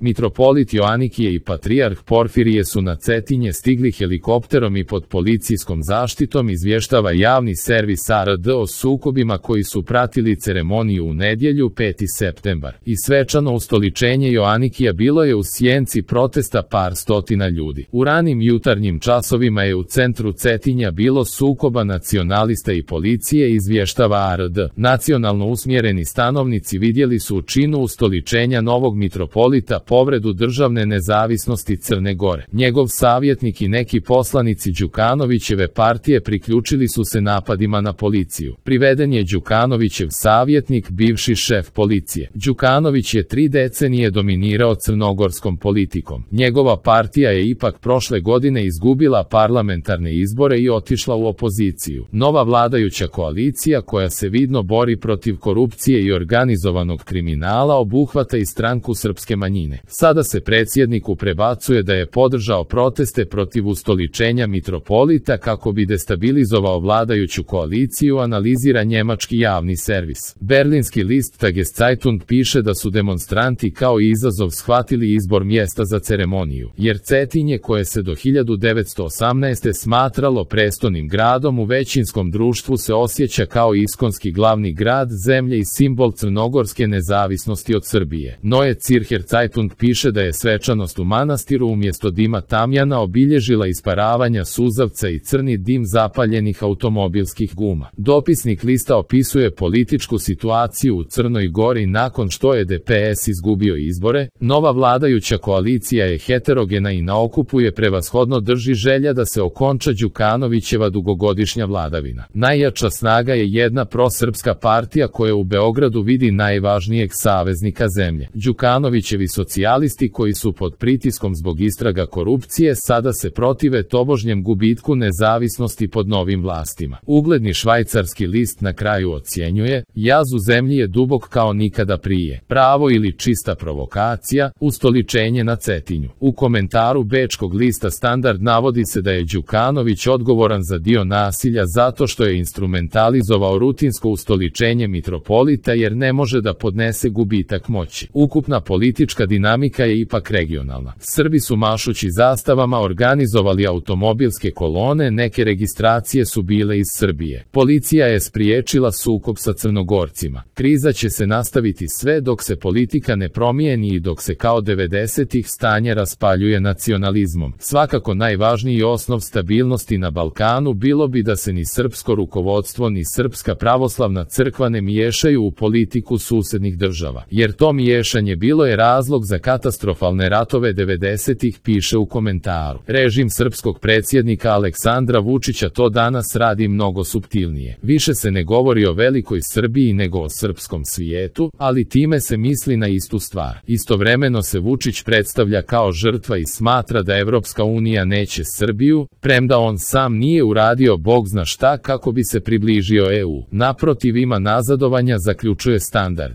Mitropolit Joanikije i patrijarh Porfirije su na Cetinje stigli helikopterom i pod policijskom zaštitom, izvještava javni servis ARD o sukobima koji su pratili ceremoniju u nedjelju 5. septembar. I svečano ustoličenje Joanikija bilo je u sjenci protesta par stotina ljudi. U ranim jutarnjim časovima je u centru Cetinja bilo sukoba nacionalista i policije, izvještava ARD. Nacionalno usmjereni stanovnici vidjeli su u činu ustoličenja novog mitropolita povredu državne nezavisnosti Crne Gore. Njegov savjetnik i neki poslanici Đukanovićeve partije priključili su se napadima na policiju. Priveden je Đukanovićev savjetnik, bivši šef policije. Đukanović je 3 decenije dominirao crnogorskom politikom. Njegova partija je ipak prošle godine izgubila parlamentarne izbore i otišla u opoziciju. Nova vladajuća koalicija, koja se vidno bori protiv korupcije i organizovanog kriminala, obuhvata i stranku srpske manjine. Sada se predsjedniku prebacuje da je podržao proteste protiv ustoličenja mitropolita kako bi destabilizovao vladajuću koaliciju, analizira njemački javni servis. Berlinski list Tageszeitung piše da su demonstranti kao izazov shvatili izbor mjesta za ceremoniju, jer Cetinje, koje se do 1918. smatralo prestolnim gradom, u većinskom društvu se osjeća kao iskonski glavni grad zemlje i simbol crnogorske nezavisnosti od Srbije. Neue Zürcher Zeitung piše da je svečanost u manastiru umjesto dima tamjana obilježila isparavanja suzavca i crni dim zapaljenih automobilskih guma. Dopisnik lista opisuje političku situaciju u Crnoj Gori nakon što je DPS izgubio izbore. Nova vladajuća koalicija je heterogena i na okupu je prevashodno drži želja da se okonča Đukanovićeva dugogodišnja vladavina. Najjača snaga je jedna prosrpska partija koja u Beogradu vidi najvažnijeg saveznika zemlje. Đukanovićevi socijalisti, koji su pod pritiskom zbog istraga korupcije, sada se protive tobožnjem gubitku nezavisnosti pod novim vlastima. Ugledni švajcarski list na kraju ocjenjuje: jaz u zemlji je dubok kao nikada prije. Pravo ili čista provokacija, ustoličenje na Cetinju. U komentaru bečkog lista Standard navodi se da je Đukanović odgovoran za dio nasilja zato što je instrumentalizovao rutinsko ustoličenje mitropolita jer ne može da podnese gubitak moći. Ukupna politička dinamika je ipak regionalna. Srbi su mašući zastavama organizovali automobilske kolone, neke registracije su bile iz Srbije. Policija je spriječila sukob sa Crnogorcima. Kriza će se nastaviti sve dok se politika ne promijeni i dok se kao 90-ih stanje raspaljuje nacionalizmom. Svakako najvažniji osnov stabilnosti na Balkanu bilo bi da se ni srpsko rukovodstvo ni Srpska pravoslavna crkva ne miješaju u politiku susjednih država, jer to miješanje bilo je razlog za katastrofalne ratove 90-ih, piše u komentaru. Režim srpskog predsjednika Aleksandra Vučića to danas radi mnogo suptilnije. Više se ne govori o velikoj Srbiji nego o srpskom svijetu, ali time se misli na istu stvar. Istovremeno se Vučić predstavlja kao žrtva i smatra da Evropska unija neće Srbiju, premda on sam nije uradio bog zna šta kako bi se približio EU. Naprotiv, ima nazadovanja, zaključuje Standard.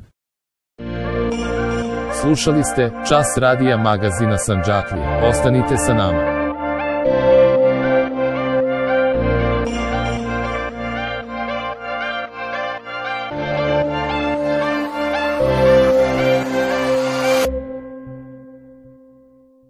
Slušali ste Čas radija magazina Sandžaklija. Ostanite sa nama.